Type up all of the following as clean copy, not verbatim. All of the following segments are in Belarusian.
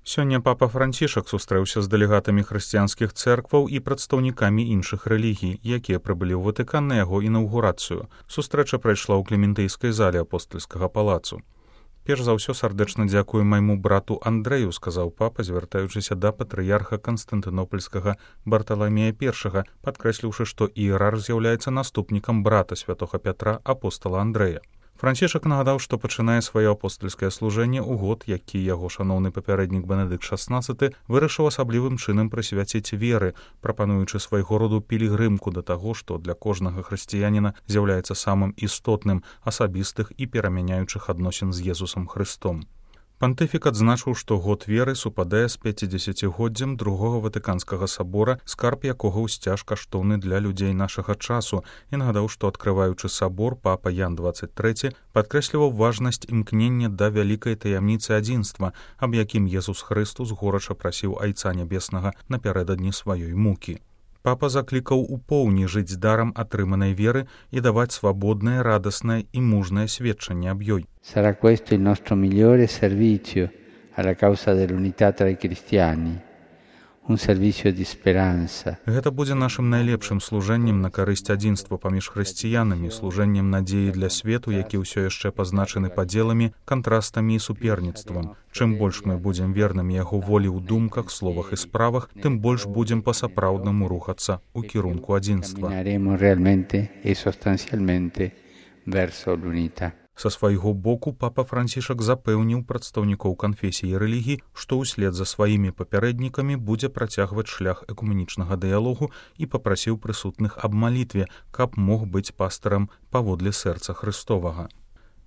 Сёння папа Францішак сустрэўся з дэлегатамі хрысціянскіх цэркваў і прадстаўнікамі іншых рэлігій, якія прыбылі ў Ватыкан на яго інаўгурацыю. Сустрэча прайшла ў Клементыйскай зале апостальскага палацу. «Перш за ўсё сардэчна дзякую майму брату Андрэю», сказаў папа, звяртаючыся да патрыярха Канстантынопольскага Барталамея I, падкрэсліўшы, што іерарх з'яўляецца наступнікам брата святога Пятра, апостала Андрэя. Францішак нагадаў, што пачынае сваё апостальскае служэнне ў год, які яго шаноўны папярэднік Бенедыкт XVI вырашыў асаблівым чынам прысвяціць веры, прапануючы свайго роду пілігрымку да таго, што для кожнага хрысціяніна з'яўляецца самым істотным, асабістых і перамяняючых адносін з Езусам Хрыстом. Пантыфік адзначыў, што год веры супадае з 50-годдзем другога Ватыканскага сабора, скарб якога ўсцяж каштоўны для людзей нашага часу, і нагадаў, што адкрываючы сабор, папа Ян XXIII падкрэсліваў важнасць імкнення да вялікай таямніцы адзінства, аб якім Езус Хрыстус горача прасіў Айца Нябеснага напярэдадні сваёй мукі. Папа заклікаў упоўні жыць дарам атрыманай веры і даваць свабоднае, радаснае і мужнае сведчанне аб ёй. Sarà questo il nostro migliore servizio alla causa dell'unità tra i cristiani, un servizio di speranza. Гэта будзе нашым найлепшым служэннем на карысць адзінства паміж хрысціянамі, служэннем надзеі для свету, які ўсё яшчэ пазначаны падзеламі, кантрастамі і суперніцтвам. Чым больш мы будзем вернымі яго волі ў думках, словах і справах, тым больш будзем па-сапраўднаму рухацца ў кірунку адзінства. Cammineremo realmente e sostanzialmente verso l'unità. Са свайго боку папа Францішак запэўніў прадстаўнікоў канфесій і рэлігій, што ўслед за сваімі папярэднікамі будзе працягваць шлях экуменічнага дыялогу і папрасіў прысутных аб малітве, каб мог быць пастарам паводле сэрца Хрыстовага.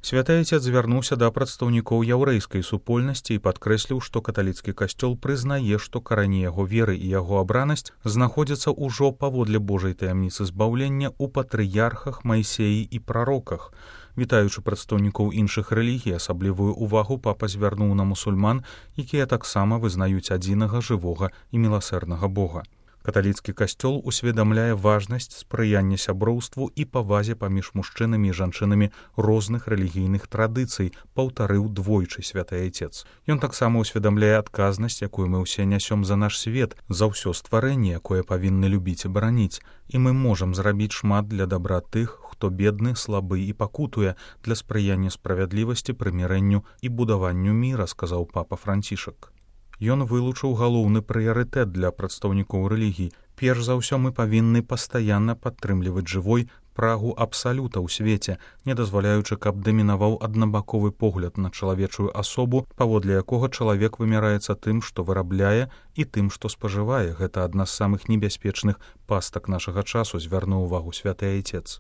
Святы Айцец звярнуўся да прадстаўнікоў яўрэйскай супольнасці і падкрэсліў, што каталіцкі касцёл прызнае, што карані яго веры і яго абранасць знаходзяцца ўжо паводле Божай таямніцы збаўлення ў патрыярхах, Майсеі і прароках. Вітаючы прадстаўнікоў іншых рэлігій, асаблівую ўвагу папа звярнуў на мусульман, якія таксама вызнаюць адзінага жывога і міласэрнага Бога. Каталіцкі касцёл усведамляе важнасць спрыяння сяброўству і павазе паміж мужчынамі і жанчынамі розных рэлігійных традыцый, паўтарыў двойчы святы Айцец. Ён таксама усведамляе адказнасць, якую мы ўсе нясём за наш свет, за ўсё стварэнне, якое павінны любіць і бараніць, і мы можам зрабіць шмат для дабра тых, хто бедны, слабы і пакутуе, для спрыяння справядлівасці, прымірэнню і будаванню міра, сказаў папа Францішак. Ён вылучыў галоўны прыярытэт для прадстаўнікоў рэлігій. Перш за ўсё мы павінны пастаянна падтрымліваць жывой прагу абсалюта ў свеце, не дазваляючы, каб дамінаваў аднабаковы погляд на чалавечую асобу, паводле якога чалавек вымяраецца тым, што вырабляе, і тым, што спажывае. Гэта адна з самых небяспечных пастак нашага часу, звярнуў увагу святы Айцец.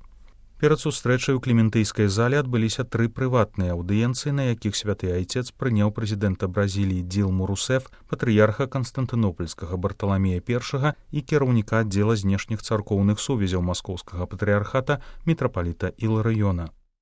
Перад сустрэчай у Клементыйскай зале адбыліся 3 прыватныя аўдыенцыі, на якіх святы Айцец прыняў прэзідэнта Бразіліі Дилму Русеф, патрыярха Канстантынопольскага Барталамея I і кіраўніка аддзела знешніх царкоўных сувязяў маскоўскага патрыярхата мітрапаліта Іларыёна.